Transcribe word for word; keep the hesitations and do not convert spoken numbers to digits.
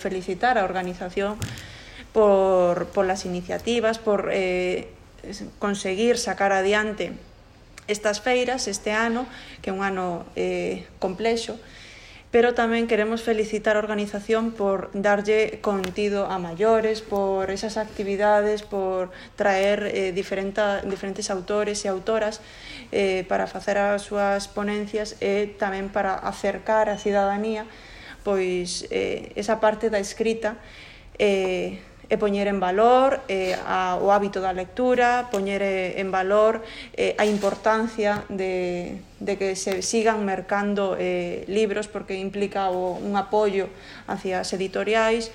felicitar a organización por, por las iniciativas, por eh, conseguir sacar adiante estas feiras este ano, que é un ano eh, complexo, pero tamén queremos felicitar a organización por darlle contido a maiores, por esas actividades, por traer eh, diferenta, diferentes autores e autoras eh, para facer as súas ponencias e tamén para acercar a cidadanía pois eh, esa parte da escrita eh, e poñer en valor eh, a, o hábito da lectura, poñer eh, en valor eh, a importancia de, de que se sigan mercando eh, libros, porque implica o, un apoio hacia as editoriais,